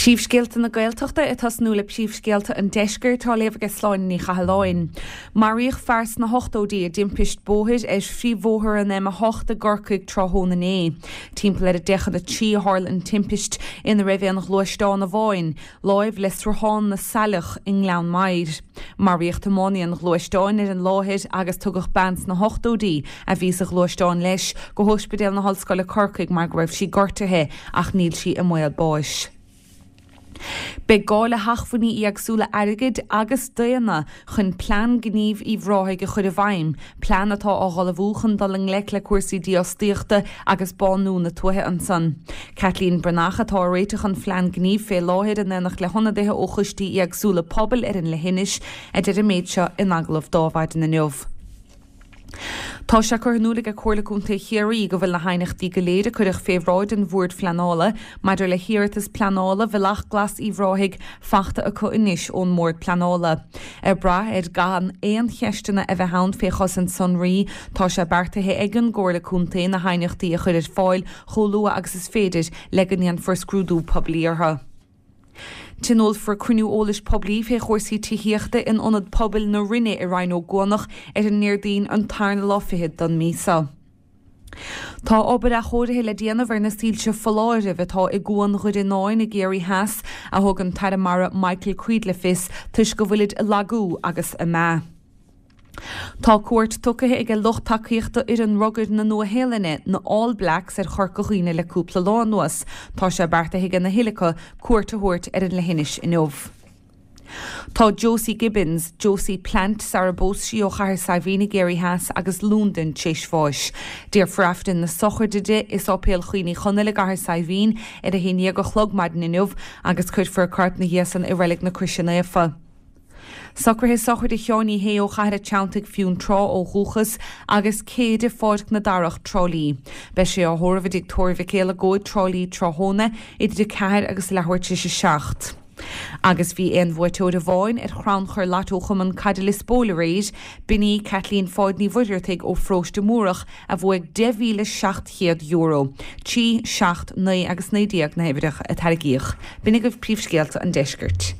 Príomhscéalta na Gaeltachta ag tosnú le príomhscéalta an Deiscirt á léamh aige Sláine Ní Chathalláin. Maraíodh fear sna hochtóidí i dtimpist bóthair ar phríomhbhóthar an M8 i gCorcaigh tráthnóna inné. Timpeall ar a 2:50 a tharla an timpist ina raibh aon ghluaisteán amháin, láimh le Sruthán na Saileach i nGleann Maghair. Maraíodh tiománaí an ghluaisteáin ar an láthair agus tugadh bean sna hochtóidí, a bhí sa ghluaisteán leis, go hOspidéal na hOllscoile Corcaigh mar go raibh sí gortaithe ach níl sí i mbaol báis. Beidh gá le hacmhainní éagsúla airgid agus daonna chun Plean Gnímh Uíbh Ráthaigh a chur i bhfeidhm, plean atá á dh'ullmhú chun dul i ngleic le cúrsaí dífhostaíochta agus bánú na tuaithe ansan. Caitlín Breathnach atá ag réiteach an phlean gnímh fé láthair in éineacht le hionadaithe ó choistí éagsúla pobail ar an leithinis, a deir an méid seo in agallamh d'Adhmhaidin inniu. Tá sé curtha in iúl aige Comhairle Contae Chiarraí go bhfuil na haighneachtaí go léir a cuireadh fé bhráid an Bhoird Phleanála maidir le hiarratas pleanála Bhealach Glas Uíbh Ráthaigh fachta acu anois ón mBord Pleanála. Ag brath ar gan aon cheisteanna a bheith ann fé chosaint sonraí, tá sé beartaithe ag an gComhairle Contae na haighneachtaí a chur ar fáil chomh luath agus is féidir le go ndéanfar scrúdú poiblí orthu. Tionólfar cruinniú eolais poiblí fé chúrsaí tithíochta in Ionad Pobail na Rinne i Rinn Ó gCuanach ar an nDéardaoin an tarna lá fichead don mí seo. Tá obair athchóirithe le déanamh ar na soilse foláirimh atá i gCuan Dhoire Náin i gCiarraí Theas, a thug an tAire Mara Michael Creed le fios, toisc go bhfuilid ag lagú agus ag meath. Tá cuairt tugtha aige lucht tacaíochta fhoireann rugair na Nua-Shéalainne, na All Blacks, ar Chorca Dhuibhne le cúpla lá anuas. Tá sé beartaithe aige na thuilleadh acu cuairt a thabhairt ar an leithinis inniu. Tá Josie Gibbons, Josie Plant sara bpós sí ó Chathair Saidhbhín i gCiarraí Theas agus Londain tar éis bháis. Déarfar Aifreann na sochraide di i Sáipéal Chroí Uí Chonaill i gCathair Saidhbhín ar a 11 a chlog maidin inniu agus cuirfear a corp ina dhiaidh san i Reilig na Croise Naofa. Socruithe sochraide Sheáin Uí Shé ó Chathair a' Treanntaigh, Fionntrá ó dhúchas, agus Céide Pháirc na Darach, Trá Lí. Beidh sé á thórramh i dTigh Tórraimh Mhic Éil Trá Lí tráthnóna idir 4 agus leathuair tar éis 7. Agus bhí aon bhuaiteoir amháin ar chrannchur Lotto Chumann Caide Lios Póil aréir, b'in í Caitlín Pháid Ní Mhuircheartaigh ó Pharóiste Múrach a bhuaigh €10,700. 3, 7, 9 agus 19 na huimhreacha a tarraingíodh. B'in agaibh príomhscéalta an deiscirt.